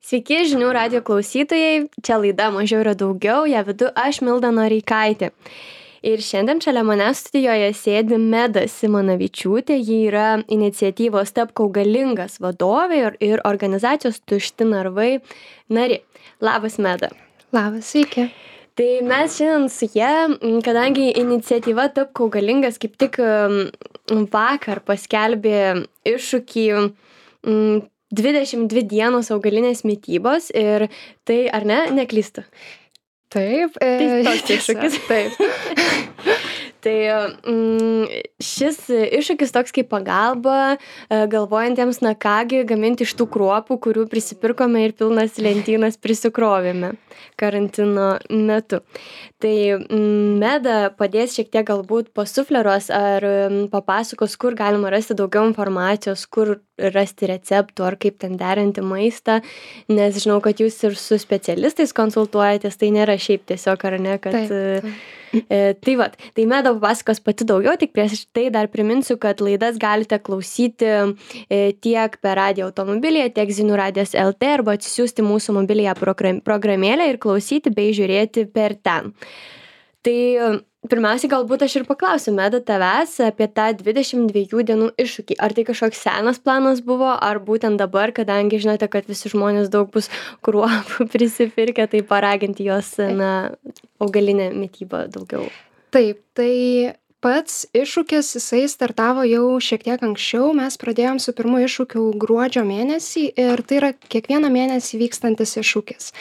Sveiki, žinių radio klausytojai. Čia laida Mažiau yra daugiau, ją vedu aš, Milda Noreikaitė. Ir šiandien šalia manęs studijoje sėdi Meda Simonavičiūtė. Ji yra iniciatyvos Tapk augalingas vadovė ir organizacijos Tušti narvai narė. Labas, Meda. Labas, sveiki. Tai mes šiandien su ja, kadangi iniciatyva Tapk augalingas kaip tik vakar paskelbė iššūkį 22 dienos augalinės mitybos ir tai, ar ne, neklystu? Taip. Tai toks iššūkis. Taip. Tai šis iššūkis toks kaip pagalba galvojantiems, na kągi, gaminti iš tų kruopų, kurių prisipirkome ir pilnas lentynas prisikrovėme karantino metu. Tai Meda padės šiek tiek galbūt pasufleruos ar papasakos, kur galima rasti daugiau informacijos, kur rasti receptų ar kaip ten derinti maistą, nes žinau, kad jūs ir su specialistais konsultuojatės, tai nėra šiaip tiesiog, ar ne, kad... Taip. Tai Meda papasakos pati daugiau, tik prieš tai dar priminsiu, kad laidas galite klausyti tiek per radijo automobilyje, tiek Zinių radijas LT arba atsisiųsti mūsų mobiliją programėlę ir klausyti bei žiūrėti per ten. Tai pirmiausiai galbūt aš ir paklausiu, Meda, tavęs apie tą 22 dienų iššūkį. Ar tai kažkoks senas planas buvo, ar būtent dabar, kadangi žinote, kad visi žmonės daug bus kruopų prisipirkę, tai paraginti jos, augalinę mitybą daugiau? Taip, tai pats iššūkis, jisai startavo jau šiek tiek anksčiau. Mes pradėjom su pirmu iššūkiu gruodžio mėnesį ir tai yra kiekvieną mėnesį vykstantis iššūkis.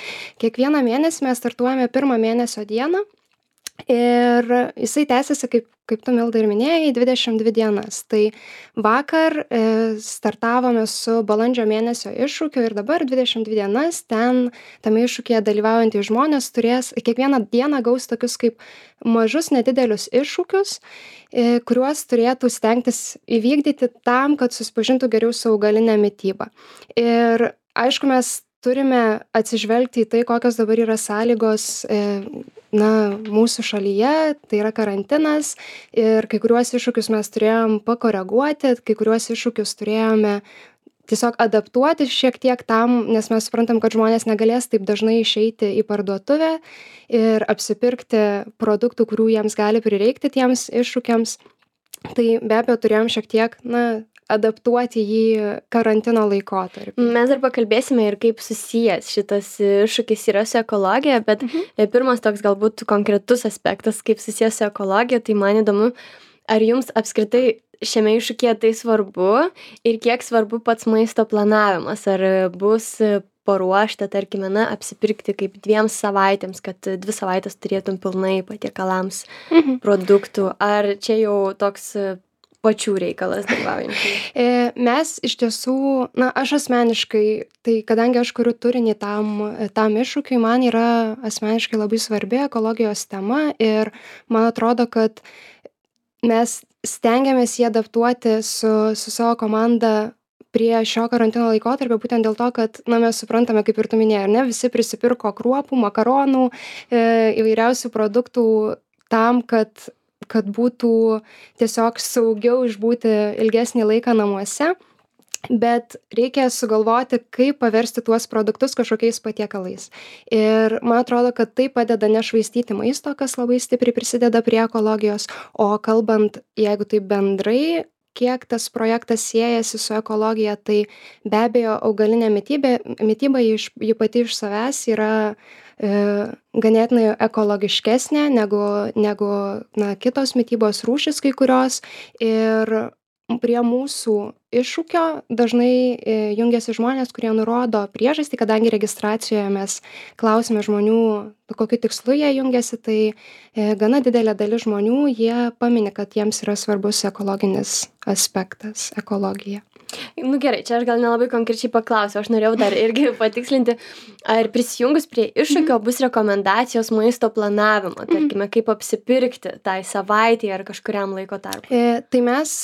Kiekvieną mėnesį mes startuojame pirmą mėnesio dieną. Ir jisai tęsiasi, kaip tu, Milda, ir minėjai, 22 dienas. Tai vakar startavome su balandžio mėnesio iššūkiu ir dabar 22 dienas tame iššūkyje dalyvaujantys žmonės kiekvieną dieną gaus tokius kaip mažus nedidelius iššūkius, kuriuos turėtų stengtis įvykdyti tam, kad susipažintų geriau su augalinė mityba. Ir aišku, mes turime atsižvelgti į tai, kokios dabar yra sąlygos mūsų šalyje, tai yra karantinas ir kai kuriuos iššūkius mes turėjom pakoreguoti, kai kuriuos iššūkius turėjome tiesiog adaptuoti šiek tiek tam, nes mes suprantam, kad žmonės negalės taip dažnai išeiti į parduotuvę ir apsipirkti produktų, kurių jiems gali prireikti tiems iššūkiams. Tai be abejo turėjom šiek tiek, adaptuoti jį karantino laikotarpį. Mes dar pakalbėsime ir kaip susijęs šitas iššūkis yra su ekologija, bet pirmas toks galbūt konkretus aspektas, kaip susijęs su ekologija, tai man įdomu, ar jums apskritai šiame iššūkyje tai svarbu ir kiek svarbu pats maisto planavimas, ar bus paruošta, tarkime, apsipirkti kaip 2 savaitėms, kad 2 savaitės turėtum pilnai patiekalams produktų, ar čia jau toks pačių reikalas dalyvaujančių? Mes iš tiesų, aš asmeniškai, tai kadangi aš kuriu turinį tam iššūkiui, man yra asmeniškai labai svarbi ekologijos tema ir man atrodo, kad mes stengiamės jį adaptuoti su savo komanda prie šio karantino laikotarpio, būtent dėl to, kad mes suprantame, kaip ir tu minėjai, ar ne, visi prisipirko kruopų, makaronų, įvairiausių produktų tam, kad būtų tiesiog saugiau išbūti ilgesnį laiką namuose, bet reikia sugalvoti, kaip paversti tuos produktus kažkokiais patiekalais. Ir man atrodo, kad tai padeda nešvaistyti maisto, kas labai stipriai prisideda prie ekologijos, o kalbant, jeigu tai bendrai, kiek tas projektas siejasi su ekologija, tai be abejo augalinė mityba ji pati iš savęs yra ganėtinai ekologiškesnė negu kitos mitybos rūšys kai kurios. Ir prie mūsų iššūkio dažnai jungiasi žmonės, kurie nurodo priežastį, kadangi registracijoje mes klausime žmonių, kokiu tikslu jie jungiasi, tai gana didelė dalis žmonių, jie pamini, kad jiems yra svarbus ekologinis aspektas, ekologija. Gerai, čia aš gal nelabai konkrečiai paklausiu, aš norėjau dar irgi patikslinti, ar prisijungus prie iššūkio bus rekomendacijos maisto planavimo, tarkime, kaip apsipirkti tai savaitėje ar kažkuriam laiko tarpui. Tai mes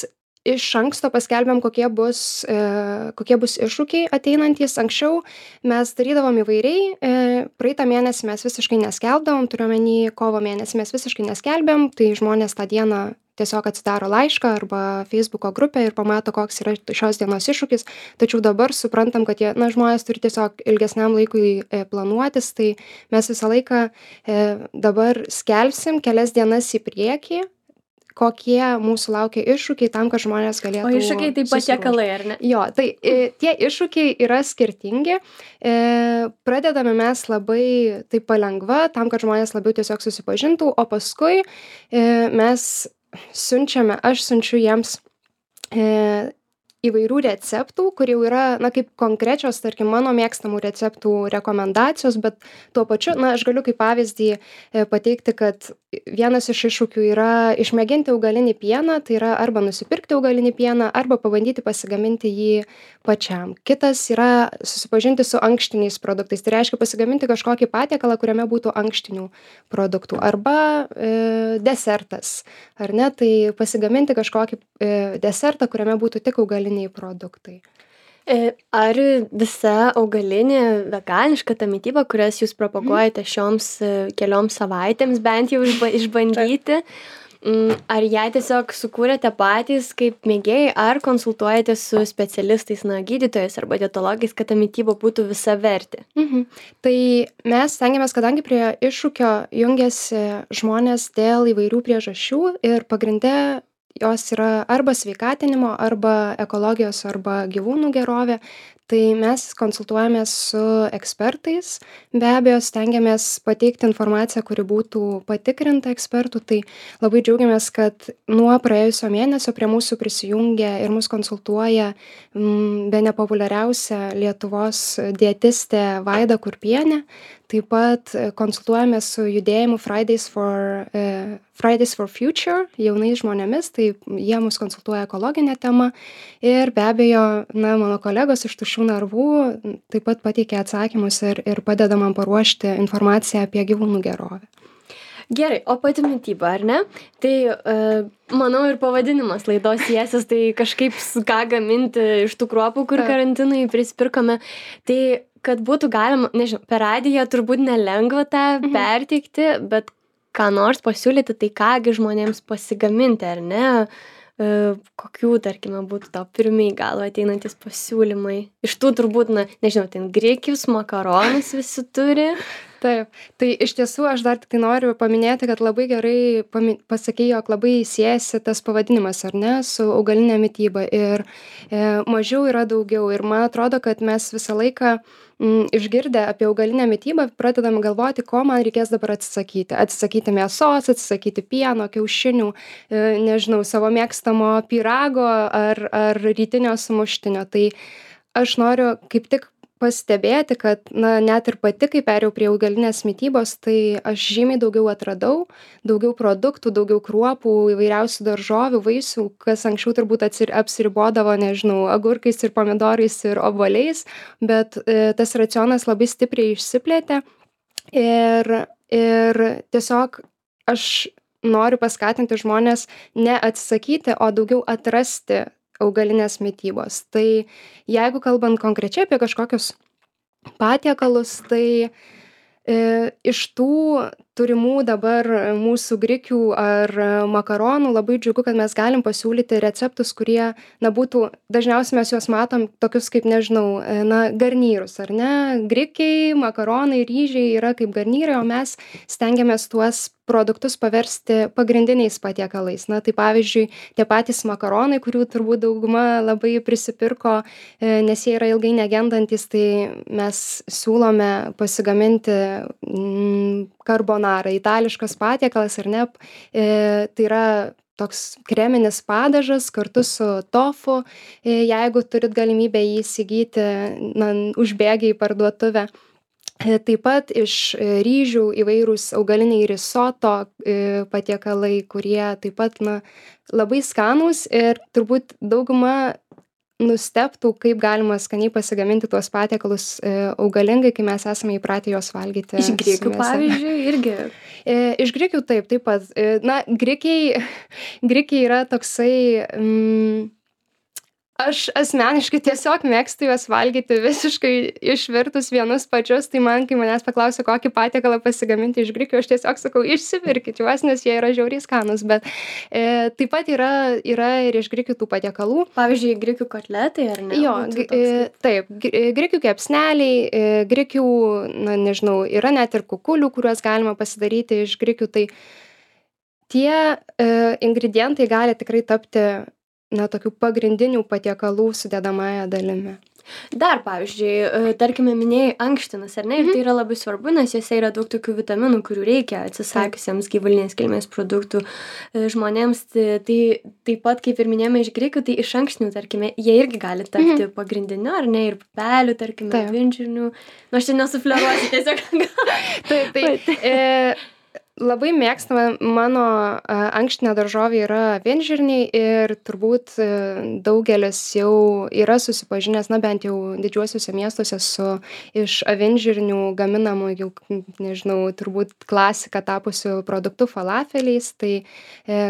iš anksto paskelbėm, kokie bus iššūkiai ateinantys. Anksčiau mes darydavom įvairiai, praeitą mėnesį mes visiškai neskelbdavom, turiu omeny kovo mėnesį mes visiškai neskelbėm, tai žmonės tą dieną tiesiog atsidaro laišką arba Facebooko grupę ir pamato, koks yra šios dienos iššūkis. Tačiau dabar suprantam, kad žmonės turi tiesiog ilgesniam laikui planuotis, tai mes visą laiką dabar skelbsim kelias dienas į priekį, kokie mūsų laukia iššūkiai tam, kad žmonės galėtų. O iššūkiai tai patiekalai, ar ne? Jo, tai tie iššūkiai yra skirtingi. Pradedame mes labai taip palengva, tam, kad žmonės labiau tiesiog susipažintų, o paskui mes aš siunčiu jiems įvairių receptų, kur jau yra, kaip konkrečios, tarkim, mano mėgstamų receptų rekomendacijos, bet tuo pačiu, aš galiu kaip pavyzdį pateikti, kad vienas iš iššūkių yra išmėginti augalinį pieną, tai yra arba nusipirkti augalinį pieną, arba pabandyti pasigaminti jį pačiam. Kitas yra susipažinti su ankštiniais produktais, tai reiškia pasigaminti kažkokį patiekalą, kuriame būtų ankštinių produktų, arba desertas, ar ne, tai pasigaminti kažkokį desertą, kuriame būtų tik augaliniai produktai. Ar visa augalinė veganiška ta mityba, kurias jūs propaguojate šioms kelioms savaitėms bent jau išbandyti, ar ją tiesiog sukūrėte patys kaip mėgėjai, ar konsultuojate su specialistais, gydytojais arba dietologais, kad ta mityba būtų visavertė? Tai mes stengiamės, kadangi prie iššūkio jungiasi žmonės dėl įvairių priežasčių ir pagrinde jos yra arba sveikatinimo, arba ekologijos, arba gyvūnų gerovė, tai mes konsultuojamės su ekspertais, be abejo stengiamės pateikti informaciją, kuri būtų patikrinta ekspertų, tai labai džiaugiamės, kad nuo praėjusio mėnesio prie mūsų prisijungia ir mus konsultuoja bene populiariausia Lietuvos dietistė Vaida Kurpienė. Taip pat konsultuojamės su judėjimu Fridays for Future jaunais žmonėmis, tai jie mus konsultuoja ekologinę temą ir be abejo, mano kolegos iš Tuščių narvų taip pat pateikia atsakymus ir padeda man paruošti informaciją apie gyvūnų gerovę. Gerai, o pati mityba, ar ne? Tai manau ir pavadinimas laidos siesis, tai kažkaip ką gaminti iš tų kruopų, kur karantinai prisipirkome. Tai kad būtų galima, nežinau, per radiją turbūt nelengva tą perteikti, bet ką nors pasiūlyti, tai kągi žmonėms pasigaminti, ar ne? Kokių, tarkime, būtų tau pirmiai galva ateinantis pasiūlymai? Iš tų turbūt, nežinau, ten grikius, makaronus visi turi. Taip, tai iš tiesų aš dar tik noriu paminėti, kad labai gerai pasakei, jog labai siejasi tas pavadinimas, ar ne, su augalinė mityba ir mažiau yra daugiau ir man atrodo, kad mes visą laiką išgirdę apie augalinę mitybą pradedam galvoti, ko man reikės dabar atsisakyti. Atsisakyti mėsos, atsisakyti pieno, kiaušinių, nežinau, savo mėgstamo pyrago ar rytinio sumuštinio. Tai aš noriu kaip tik pastebėti, kad net ir pati, kai perėjau prie augalinės mitybos, tai aš žymiai daugiau atradau, daugiau produktų, daugiau kruopų, įvairiausių daržovių, vaisių, kas anksčiau turbūt apsiribodavo, nežinau, agurkais ir pomidorais ir obuoliais, bet tas racionas labai stipriai išsiplėtė ir tiesiog aš noriu paskatinti žmonės ne atsisakyti, o daugiau atrasti augalinės mitybos. Tai jeigu kalbant konkrečiai apie kažkokius patiekalus, tai iš tų turimų dabar mūsų grikių ar makaronų labai džiugu, kad mes galim pasiūlyti receptus, kurie, būtų, dažniausiai mes juos matom tokius kaip, nežinau, garnyrus, ar ne? Grikiai, makaronai, ryžiai yra kaip garnyrai, o mes stengiamės tuos produktus paversti pagrindiniais patiekalais. Tai pavyzdžiui, tie patys makaronai, kurių turbūt dauguma labai prisipirko, nes jie yra ilgai negendantis, tai mes siūlome pasigaminti karbonarą, itališkas patiekalas, ar ne? Tai yra toks kreminis padažas kartu su tofu, jeigu turit galimybę jį įsigyti, užbėgę į parduotuvę. Taip pat iš ryžių įvairūs augaliniai risoto patiekalai, kurie taip pat labai skanūs ir turbūt dauguma nustebtų, kaip galima skaniai pasigaminti tuos patiekalus augalingai, kai mes esame įpratę juos valgyti. Iš grikių, pavyzdžiui, irgi. Iš grikių taip pat. Grikiai yra toksai... aš asmeniškai tiesiog mėgstu juos valgyti visiškai išvirtus vienus pačius, tai man, kai manęs paklausia, kokį patiekalą pasigaminti iš grikių, aš tiesiog sakau, išsipirkit juos, nes jie yra žiauriai skanūs, bet taip pat yra ir iš grikių tų patiekalų. Pavyzdžiui, grikių kotletai, ar ne? Jo, taip, grikių kepsneliai, grikių, na nežinau, yra net ir kukulių, kuriuos galima pasidaryti iš grikių, tai tie ingredientai gali tikrai tapti, na, tokių pagrindinių patiekalų sudedamąja dalimi. Dar, pavyzdžiui, tarkime, minėjai ankštinas, ar ne? Ir tai yra labai svarbu, nes jose yra daug tokių vitaminų, kurių reikia atsisakiusiems gyvulinės kilmės produktų žmonėms. Tai taip pat, kaip ir minėjome iš grikių, tai iš ankštinių, tarkime, jie irgi gali tapti pagrindiniu, ar ne? Ir pupelių, tarkime, avinžirnių. Nu, aš čia nesufleruosiu, tiesiog. Taip. Labai mėgstama mano ankštinė daržovė yra avinžirniai ir turbūt daugelis jau yra susipažinęs, na bent jau didžiuosiuose miestuose su iš avinžirnių gaminamu jau, nežinau, turbūt klasika tapusiu produktu falafeliais, tai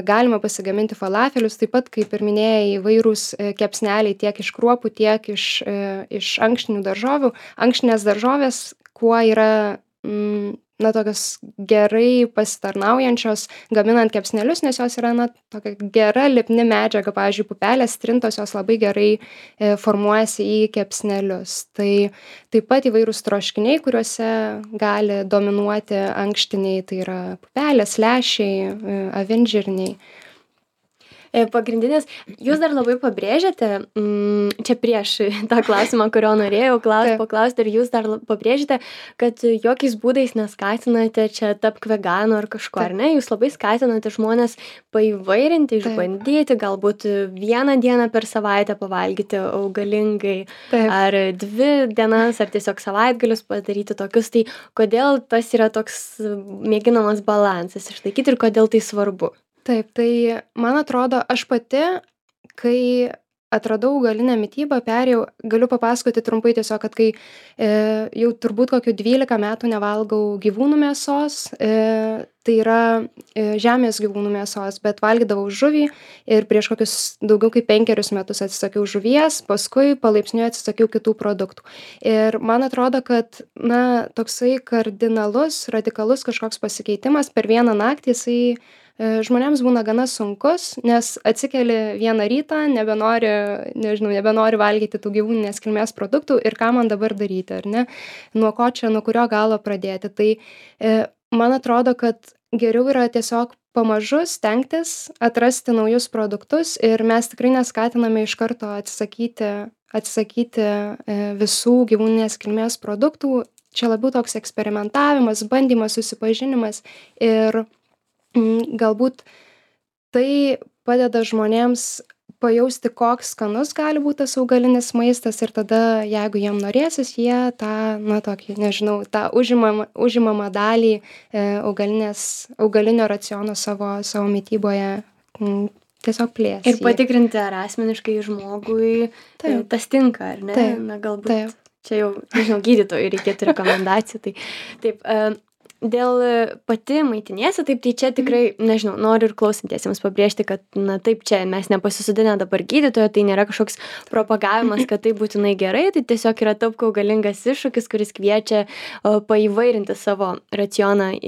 galima pasigaminti falafelius, taip pat, kaip ir minėjai, įvairūs kepsneliai tiek iš kruopų, tiek iš ankštinių daržovių. Ankštinės daržovės, kuo yra na, tokios gerai pasitarnaujančios gaminant kepsnelius, nes jos yra, na, tokia gera lipni medžiaga, pavyzdžiui, pupelės trintos, jos labai gerai formuojasi į kepsnelius. Tai taip pat įvairūs troškiniai, kuriuose gali dominuoti ankštiniai, tai yra pupelės, lęšiai, avinžirniai. Pagrindinės, jūs dar labai pabrėžiate, čia prieš tą klausimą, kurio norėjau paklausti, ir jūs dar pabrėžiate, kad jokiais būdais neskatinate čia tapk veganu ar kažko, ar ne? Jūs labai skatinate žmonės paįvairinti, išbandyti, galbūt vieną dieną per savaitę pavalgyti augalingai, ar 2 dienas, ar tiesiog savaitgalius padaryti tokius. Tai kodėl tas yra toks mėginamas balansas išlaikyti ir kodėl tai svarbu? Taip, tai man atrodo, aš pati, kai atradau augalinę mitybą, galiu papasakoti trumpai tiesiog, kad kai jau turbūt kokių 12 metų nevalgau gyvūnų mėsos, tai yra žemės gyvūnų mėsos, bet valgydavau žuvį ir prieš kokius daugiau kaip 5 metus atsisakiau žuvies, paskui palaipsniui atsisakiau kitų produktų. Ir man atrodo, kad, na, toksai kardinalus, radikalus kažkoks pasikeitimas per vieną naktį, jisai žmonėms būna gana sunkus, nes atsikeli vieną rytą, nebenori valgyti tų gyvūninės kilmės produktų ir ką man dabar daryti, ar ne? Nuo kurio galo pradėti. Tai man atrodo, kad geriau yra tiesiog pamažu stengtis atrasti naujus produktus ir mes tikrai neskatiname iš karto atsisakyti visų gyvūninės kilmės produktų. Čia labiau toks eksperimentavimas, bandymas, susipažinimas ir galbūt tai padeda žmonėms pajausti, koks skanus gali būti tas augalinis maistas ir tada, jeigu jiem norėsis, jie tą, na, tokį, nežinau, tą užimamą dalį augalinio raciono savo mityboje tiesiog plės. Ir patikrinti, ar asmeniškai žmogui tas tinka, ar ne? Na, galbūt čia jau, nežinau, gydytojui reikėtų rekomendacijų. Taip, dėl pati maitiniesi, taip, tai čia tikrai, nežinau, noriu ir klausantiesiems pabrėžti, kad, na, taip, čia mes nepasisodinę dabar gydytojo, tai nėra kažkoks propagavimas, kad tai būtinai gerai, tai tiesiog yra tapk augalingas iššūkis, kuris kviečia paįvairinti savo racioną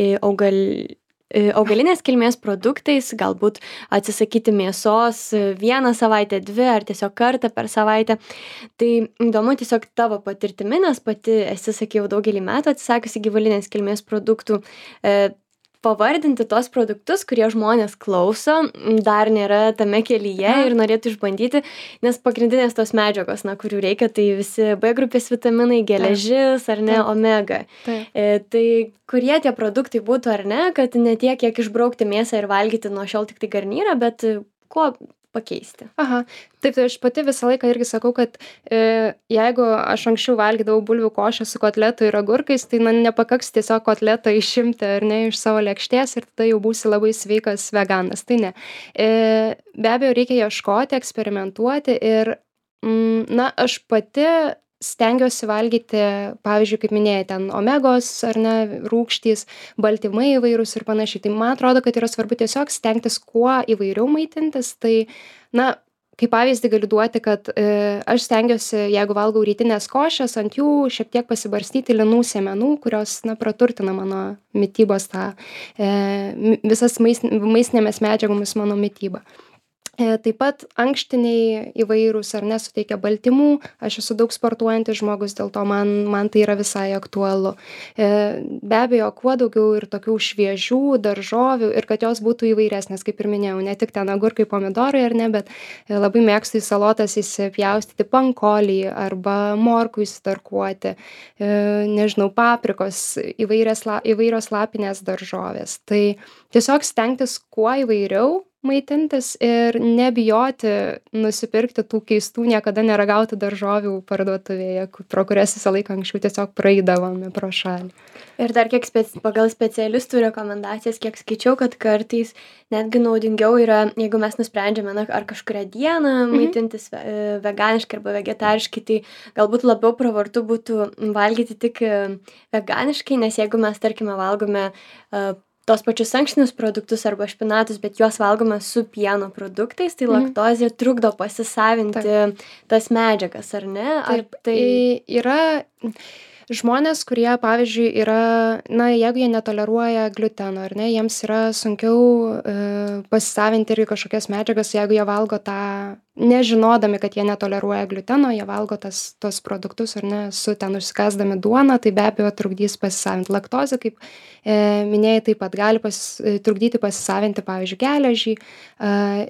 augalinės kilmės produktais, galbūt atsisakyti mėsos 1 savaitę, 2 ar tiesiog kartą per savaitę. Tai įdomu tiesiog tavo patirtimi, nes pati esi, sakiau, daugelį metų atsisakiusi gyvulinės kilmės produktų. Pavardinti tos produktus, kurie žmonės klauso, dar nėra tame kelyje ir norėtų išbandyti, nes pagrindinės tos medžiagos, na, kurių reikia, tai visi B grupės vitaminai, geležis ar ne, omega. Tai kurie tie produktai būtų ar ne, kad ne tiek, kiek išbraukti mėsą ir valgyti nuo šiol tik tai garnyrą, bet kuo pakeisti. Aha, taip, tai aš pati visą laiką irgi sakau, kad jeigu aš anksčiau valgydavau bulvių košę su kotletu ir agurkais, tai nepakaks tiesiog kotletą išimti ar ne iš savo lėkštės ir tada jau būsi labai sveikas veganas. Tai ne. Be abejo, reikia ieškoti, eksperimentuoti ir, na, aš pati stengiuosi valgyti, pavyzdžiui, kaip minėjai, ten omegos ar ne, rūgštys, baltymai įvairūs ir panašiai. Tai man atrodo, kad yra svarbu tiesiog stengtis kuo įvairiau maitintis. Tai, na, kaip pavyzdį galiu duoti, kad aš stengiuosi, jeigu valgau rytinės košės, ant jų šiek tiek pasibarstyti linų sėmenų, kurios praturtina mano mitybos tą visas maistinėmis medžiagomis mano mitybą. Taip pat ankštiniai įvairūs ar ne suteikia baltymų, aš esu daug sportuojantis žmogus, dėl to man tai yra visai aktualu. Be abejo, kuo daugiau ir tokių šviežių daržovių ir kad jos būtų įvairesnės, kaip ir minėjau, ne tik ten agurkai, pomidorai ar ne, bet labai mėgstu į salotas įsipjaustyti pankolį arba morkų įsitarkuoti, nežinau, paprikos, įvairios lapinės daržovės. Tai tiesiog stengtis kuo įvairiau maitintis ir nebijoti nusipirkti tų keistų, niekada neragautų daržovių parduotuvėje, pro kurias visą laiką anksčiau tiesiog praeidavome pro šalį. Ir dar kiek pagal specialistų rekomendacijas, kiek skaičiau, kad kartais netgi naudingiau yra, jeigu mes nusprendžiame ar kažkurią dieną maitintis veganiškai arba vegetariškai, tai galbūt labiau pravartu būtų valgyti tik veganiškai, nes jeigu mes, tarkime, valgome tos pačius ankštinius produktus arba špinatus, bet juos valgome su pieno produktais, tai laktozė trukdo pasisavinti tas medžiagas, ar ne? Ar tai yra žmonės, kurie, pavyzdžiui, yra, jeigu jie netoleruoja gliuteno, ar ne, jiems yra sunkiau pasisavinti irgi kažkokias medžiagas, jeigu jie valgo tą, nežinodami, kad jie netoleruoja gliuteno, jie valgo tos produktus, ar ne, su ten užsikasdami duoną, tai be abejo trukdys pasisavinti. Laktozė, kaip minėjai, taip pat gali trukdyti pasisavinti, pavyzdžiui, geležį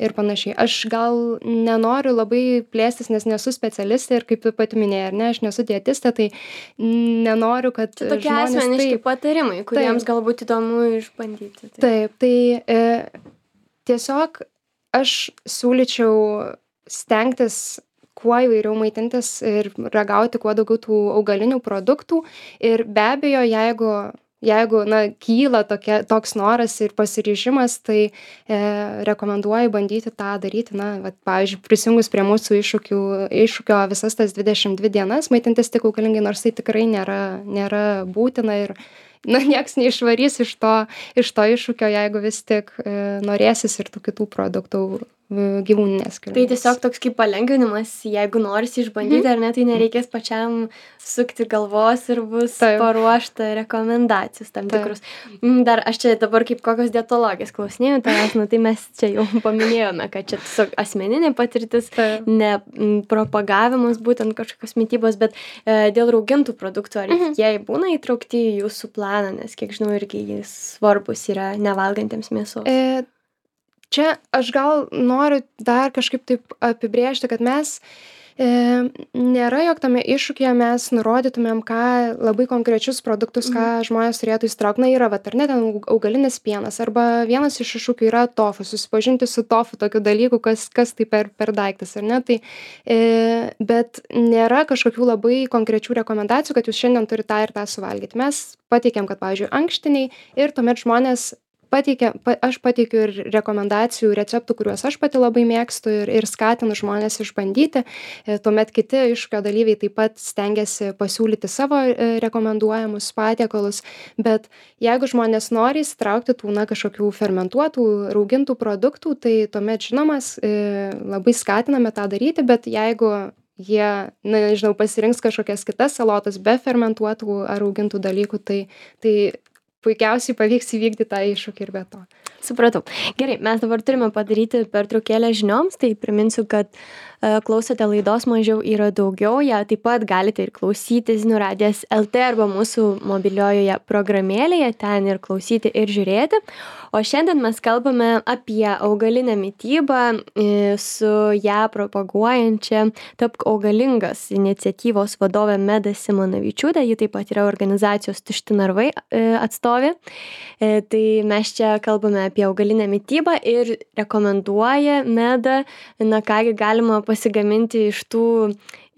ir panašiai. Aš gal nenoriu labai plėstis, nes nesu specialistė ir kaip tu pati minėjai, ar ne, aš nesu dietistė, tai nenoriu, kad čia tokie asmeniški patarimai, kuriems galbūt įdomu išbandyti. Taip, tai tiesiog aš siūlyčiau stengtis kuo įvairiau maitintis ir ragauti kuo daugiau tų augalinių produktų ir be abejo, jeigu kyla toks noras ir pasiryžimas, tai rekomenduoju bandyti tą daryti, pavyzdžiui, prisijungus prie mūsų iššūkio visas tas 22 dienas maitintis tik augalingai, nors tai tikrai nėra būtina ir nieks neišvarys iš to iššūkio, jeigu vis tik norėsis ir tų kitų produktų gyvūninės kilmės. Tai tiesiog toks kaip palengvinimas, jeigu norisi išbandyti ar ne, tai nereikės pačiam sukti galvos ir bus paruošta rekomendacijos tam tikrus. Dar aš čia dabar kaip kokios dietologės klausinėjau, tai mes čia jau paminėjome, kad čia tiesiog asmeninė patirtis, ne propagavimas būtent kažkokios mitybos, bet dėl raugintų produktų, ar jie būna įtraukti į jūsų planą, nes kiek žinau, irgi jis svarbus yra nevalgantiems mėsos. Čia aš gal noriu dar kažkaip taip apibrėžti, kad mes nėra, jog tame iššūkyje mes nurodytumėm, ką labai konkrečius produktus, ką žmonės turėtų įsitraukti. Yra, ar ne, ten augalinis pienas, arba vienas iš iššūkių yra tofu, susipažinti su tofu, tokiu dalyku, kas tai per daiktas, ar ne. Tai, bet nėra kažkokių labai konkrečių rekomendacijų, kad jūs šiandien turite tą ir tą suvalgyti. Mes pateikėm, kad, pavyzdžiui, ankštiniai ir tuomet žmonės aš pateikiu ir rekomendacijų, receptų, kuriuos aš pati labai mėgstu ir skatinu žmonės išbandyti. Tuomet kiti iššūkio dalyviai taip pat stengiasi pasiūlyti savo rekomenduojamus patiekalus, bet jeigu žmonės nori įsitraukti tų kažkokių fermentuotų, raugintų produktų, tai tuomet žinomas labai skatiname tą daryti, bet jeigu jie, pasirinks kažkokias kitas salotas be fermentuotų ar raugintų dalykų, tai puikiausiai pavyks įvykdyti tą iššūkį ir be to. Supratau. Gerai, mes dabar turime padaryti pertraukėlę žinioms, tai priminsiu, kad klausote laidos Mažiau yra daugiau, ją taip pat galite ir klausyti Zinių radijas LT arba mūsų mobiliojoje programėlėje, ten ir klausyti ir žiūrėti. O šiandien mes kalbame apie augalinę mitybą su ją propaguojančia Tapk augalingas iniciatyvos vadove Meda Simonavičiūtė, ji taip pat yra organizacijos Tušti narvai atstovė. Tai mes čia kalbame apie augalinę mitybą ir rekomenduoja Meda, kągi galima pasigaminti iš tų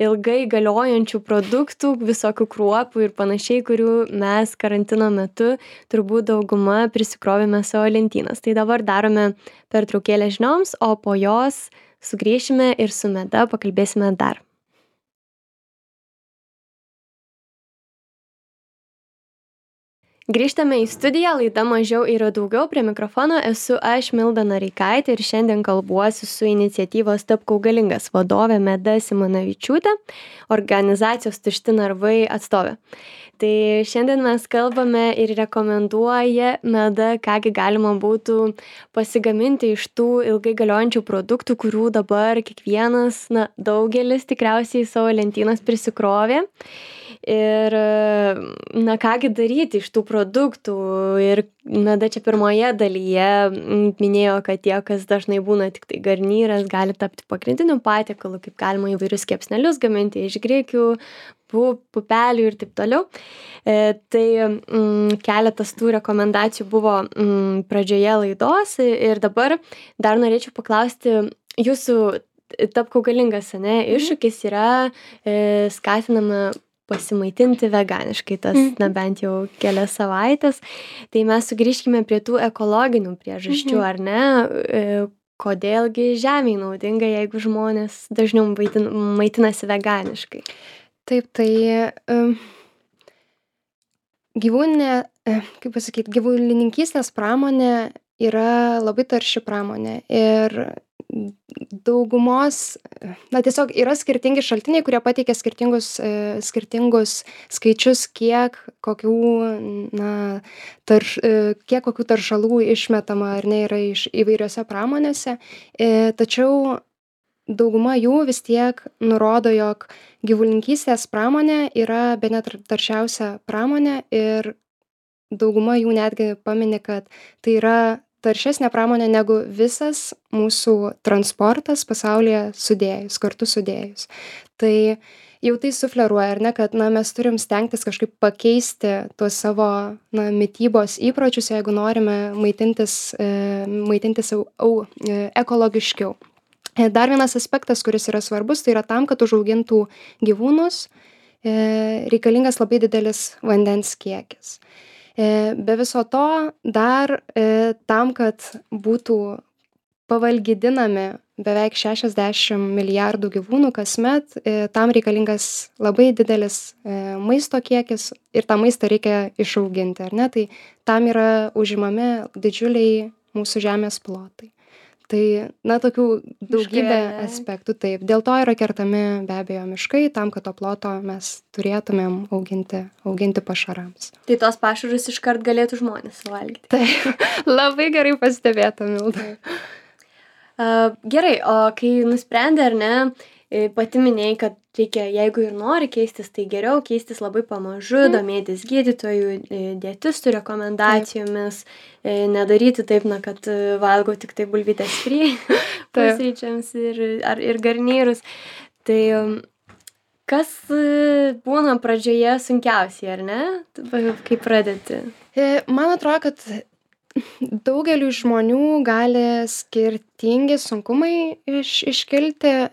ilgai galiojančių produktų, visokių kruopų ir panašiai, kurių mes karantino metu turbūt dauguma prisikrovėme savo lentynas. Tai dabar darome pertraukėlę žinioms, o po jos sugrįšime ir su Meda pakalbėsime dar. Grįžtame į studiją, laida Mažiau yra daugiau. Prie mikrofono esu aš, Milda Noreikaitė, ir šiandien kalbuosi su iniciatyvos Tapk augalingas vadove Meda Simonavičiūtė, organizacijos Tušti narvai atstovė. Tai šiandien mes kalbame ir rekomenduoja Meda, kągi galima būtų pasigaminti iš tų ilgai galiojančių produktų, kurių dabar kiekvienas, daugelis tikriausiai savo lentynas prisikrovė. Ir, kągi daryti iš tų produktų. Ir Meda čia pirmoje dalyje minėjo, kad tie, kas dažnai būna tik tai garnyras, gali tapti pagrindiniu patiekalu, kaip galima įvairius kepsnelius gaminti iš grikių, pupelių ir taip toliau. Tai keletas tų rekomendacijų buvo pradžioje laidos ir dabar dar norėčiau paklausti jūsų Tapk augalingas, iššūkis yra skatinama pasimaitinti veganiškai, tas, bent jau kelias savaitės. Tai mes sugrįžkime prie tų ekologinių priežasčių, ar ne? Kodėlgi žemei naudinga, jeigu žmonės dažniau maitinasi veganiškai? Taip, tai gyvulininkystės pramonė yra labai tarši pramonė ir daugumos, tiesiog yra skirtingi šaltiniai, kurie pateikia skirtingus skaičius, kiek kokių taršalų išmetama ar ne yra iš įvairiose pramonėse. Tačiau dauguma jų vis tiek nurodo, jog gyvulininkystės pramonė yra bene taršiausia pramonė ir dauguma jų netgi pamini, kad tai yra taršesnė pramonė negu visas mūsų transportas pasaulyje kartu sudėjus. Tai jau tai sufleruoja, ar ne, kad mes turim stengtis kažkaip pakeisti tuos savo mitybos įpročius, jeigu norime maitintis ekologiškiau. Dar vienas aspektas, kuris yra svarbus, tai yra tam, kad užaugintų gyvūnus, reikalingas labai didelis vandens kiekis. Be viso to dar tam, kad būtų pavalgydinami beveik 60 milijardų gyvūnų kasmet, tam reikalingas labai didelis maisto kiekis ir tą maistą reikia išauginti, ar ne? Tai tam yra užimami didžiuliai mūsų žemės plotai. Tai, tokių daugybė aspektų, taip. Dėl to yra kertami be abejo miškai, tam, kad to ploto mes turėtumėm auginti pašarams. Tai tos pašarus iškart galėtų žmonės suvalgyti. Taip, labai gerai pastebėta, Milda. Gerai, o kai nusprendė, ar ne, pati minėjai, kad reikia, jeigu ir nori keistis, tai geriau keistis labai pamažu, domėtis gydytojų, dietistų rekomendacijomis, nedaryti taip, kad valgo tik tai bulvytės fry pusryčiams ir garnyrus. Tai kas būna pradžioje sunkiausiai, ar ne? Kaip pradėti? Man atrodo, kad daugeliu žmonių gali skirtingi sunkumai iškilti.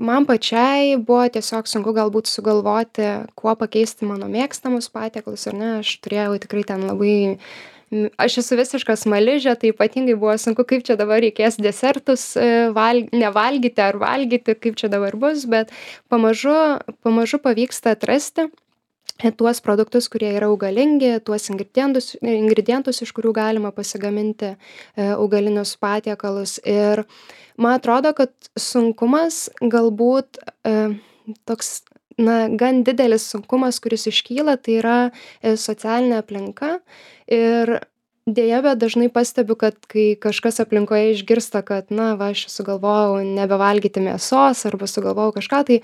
Man pačiai buvo tiesiog sunku galbūt sugalvoti, kuo pakeisti mano mėgstamus patiekalus, ar ne? Aš turėjau tikrai ten aš esu visiška smaližė, tai ypatingai buvo sunku, kaip čia dabar reikės desertus nevalgyti ar valgyti, kaip čia dabar bus, bet pamažu pavyksta atrasti tuos produktus, kurie yra augalingi, tuos ingredientus, iš kurių galima pasigaminti augalinius patiekalus. Ir man atrodo, kad sunkumas galbūt toks, gan didelis sunkumas, kuris iškyla, tai yra socialinė aplinka. Ir deja, bet dažnai pastebiu, kad kai kažkas aplinkoje išgirsta, kad, aš sugalvojau nebevalgyti mėsos arba sugalvojau kažką, tai,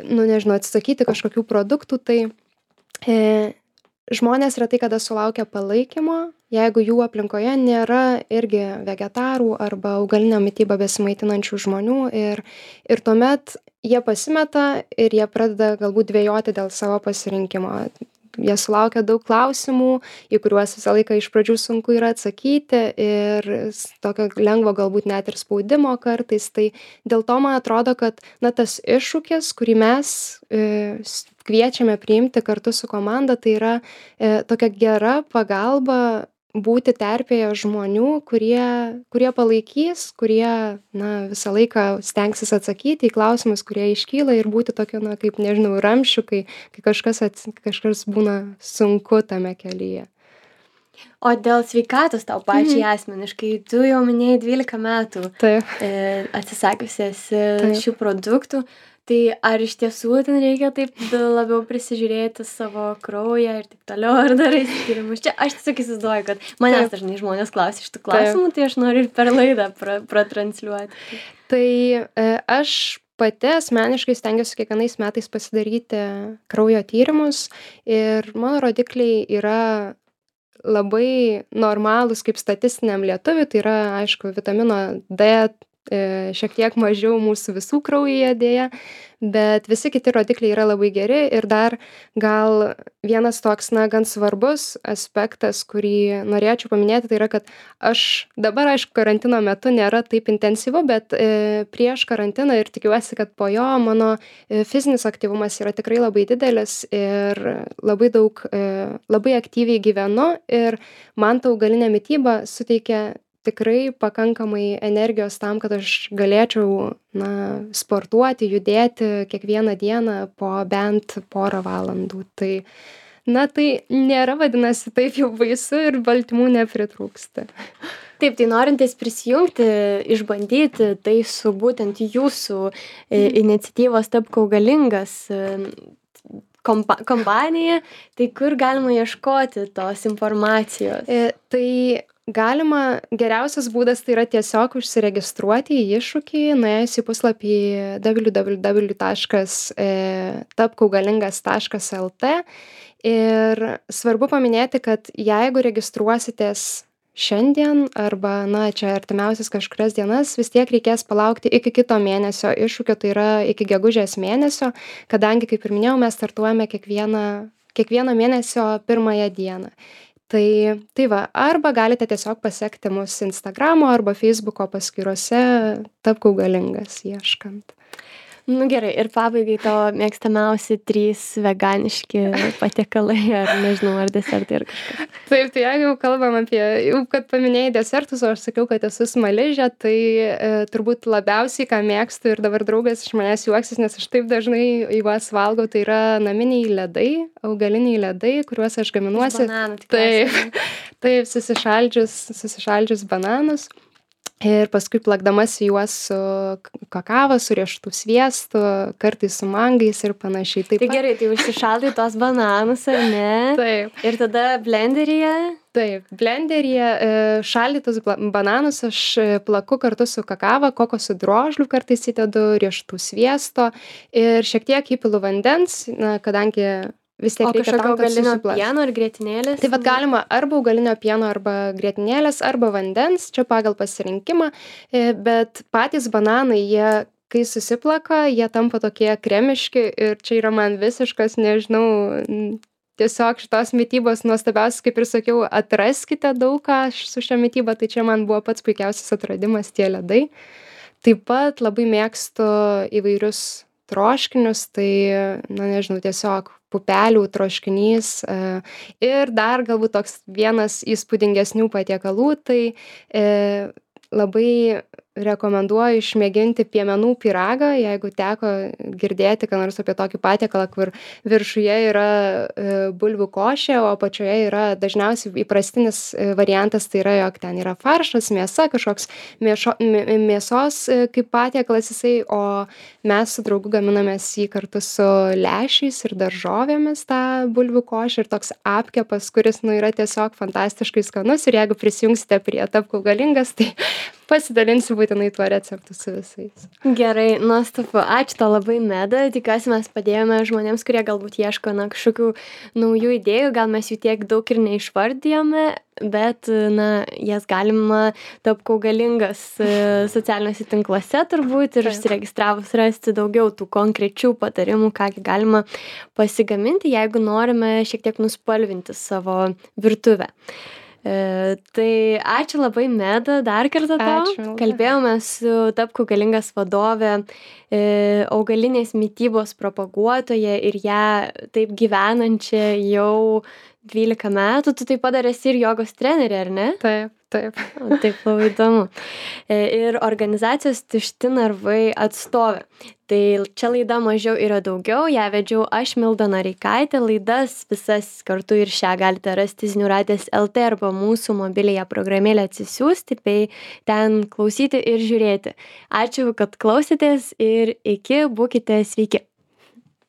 atsisakyti kažkokių produktų, tai žmonės retai kada sulaukia palaikymo, jeigu jų aplinkoje nėra irgi vegetarų arba augalinę mitybą besimaitinančių žmonių ir tuomet jie pasimeta ir jie pradeda galbūt dvejoti dėl savo pasirinkimo. Jie sulaukia daug klausimų, į kuriuos visą laiką iš pradžių sunku yra atsakyti ir tokio lengvo galbūt net ir spaudimo kartais. Tai dėl to man atrodo, kad tas iššūkis, kurį mes kviečiame priimti kartu su komanda, tai yra tokia gera pagalba būti terpėje žmonių, kurie palaikys, kurie visą laiką stengsis atsakyti į klausimus, kurie iškyla ir būti tokio, kaip ramsčiu, kai kažkas būna sunku tame kelyje. O dėl sveikatos tau pačiai asmeniškai, tu jau minėjai 12 metų Taip. atsisakiusi esi Taip. šių produktų, tai ar iš tiesų ten reikia taip labiau prisižiūrėti savo kraują ir taip toliau, ar darai tyrimus? Čia aš tiesiog įsivaizduoju, kad manęs dažnai žmonės klausia šitų klausimų, tai aš noriu ir per laidą pratransliuoti. Tai aš pati asmeniškai stengiuosi kiekvienais metais pasidaryti kraujo tyrimus ir mano rodikliai yra labai normalūs kaip statistiniam lietuviui, tai yra, aišku, vitamino D šiek tiek mažiau mūsų visų kraujyje dėja, bet visi kiti rodikliai yra labai geri ir dar gal vienas toks, gan svarbus aspektas, kurį norėčiau paminėti, tai yra, kad aš dabar, aišku, karantino metu nėra taip intensyvu, bet prieš karantiną ir tikiuosi, kad po jo mano fizinis aktyvumas yra tikrai labai didelis ir labai daug, labai aktyviai gyvenu ir man ta augalinė mityba suteikia tikrai pakankamai energijos tam, kad aš galėčiau sportuoti, judėti kiekvieną dieną po bent porą valandų. Tai, tai nėra, vadinasi, taip jau baisu ir baltymų nepritrūksta. Taip, tai norintys prisijungti, išbandyti tai su būtent jūsų iniciatyvos Tapk augalingas kompanija, tai kur galima ieškoti tos informacijos? Tai galima, geriausias būdas tai yra tiesiog užsiregistruoti į iššūkį, nuėjus į puslapį www.tapkaugalingas.lt ir svarbu paminėti, kad jeigu registruositės šiandien arba, čia artimiausias kažkurias dienas, vis tiek reikės palaukti iki kito mėnesio iššūkio, tai yra iki gegužės mėnesio, kadangi, kaip ir minėjau, mes startuojame kiekvieno mėnesio pirmąją dieną. Tai va, arba galite tiesiog pasekti mus Instagramo arba Facebooko paskyrose Tapk augalingas ieškant. Gerai, ir pabaigai tavo mėgstamiausi 3 veganiški patiekalai, ar nežinau, ar desertai ar kažkas. Taip, tai jeigu kalbam apie, kad paminėjai desertus, o aš sakiau, kad esu smaližė, tai turbūt labiausiai, ką mėgstu ir dabar draugas iš manęs juoksis, nes aš taip dažnai juos valgau, tai yra naminiai ledai, augaliniai ledai, kuriuos aš gaminuosi. Taip, susišaldžius bananus. Ir paskui plakdamasi juos su kakava, su riešutų sviestu, kartais su mangais ir panašiai. Tai gerai, tai užsišaldai tos bananus, ar ne? Taip. Ir tada blenderyje? Taip, blenderyje šaldytus bananus aš plaku kartu su kakava, kokosų drožlių kartais įdedu, riešutų sviesto ir šiek tiek įpilu vandens, kadangi vis tiek reikia tam, kad augalinio pieno ar grietinėlės? Tai galima arba augalinio pieno, arba grietinėlės, arba vandens, čia pagal pasirinkimą, bet patys bananai, jie, kai susiplaka, jie tampa tokie kremiški ir čia yra man visiškas, nežinau, tiesiog šitos mitybos nuostabiausias, kaip ir sakiau, atraskite daug ką su šia mityba, tai čia man buvo pats puikiausias atradimas tie ledai. Taip pat labai mėgstu įvairius troškinius, tai, nežinau, tiesiog pupelių troškinys ir dar galbūt toks vienas įspūdingesnių patiekalų, tai labai rekomenduoju išmėginti piemenų pyragą, jeigu teko girdėti, ką nors apie tokį patiekalą, kur viršuje yra bulvių košė, o apačioje yra dažniausiai įprastinis variantas, tai yra, jog ten yra faršas, mėsa, kažkoks mėsos kaip patiekalas jisai, o mes su draugu gaminamės jį kartu su lęšiais ir daržovėmis tą bulvių košę ir toks apkepas, kuris yra tiesiog fantastiškai skanus ir jeigu prisijungsite prie Tapk augalingas, tai pasidalinsiu būtinai tuo receptu su visais. Gerai, nuostabu. Ačiū tau labai, Meda. Tikiuosi mes padėjome žmonėms, kurie galbūt ieško kažkokių naujų idėjų. Gal mes jų tiek daug ir neišvardijome, bet, jas galima Tapk augalingas socialiniuose tinkluose turbūt ir užsiregistravus rasti daugiau tų konkrečių patarimų, ką galima pasigaminti, jeigu norime šiek tiek nuspalvinti savo virtuvę. Tai ačiū labai, Meda, dar kartą tau. Ačiū. Kalbėjome su Tapk augalingas vadove, augalinės mitybos propaguotoja ir ją taip gyvenančia jau 12 metų. Tu taip pat dar esi ir jogos trenerė, ar ne? Taip, Taip. O, taip, labai įdomu. Ir organizacijos Tušti narvai atstovė. Tai čia laida Mažiau yra daugiau, ją vedžiau aš, Milda Noreikaitė. Laidas visas kartu ir šią galite rasti Zinių radijas LT arba mūsų mobiliąją programėlę atsisiųsti, bei ten klausyti ir žiūrėti. Ačiū, kad klausėtės ir iki, būkite sveiki.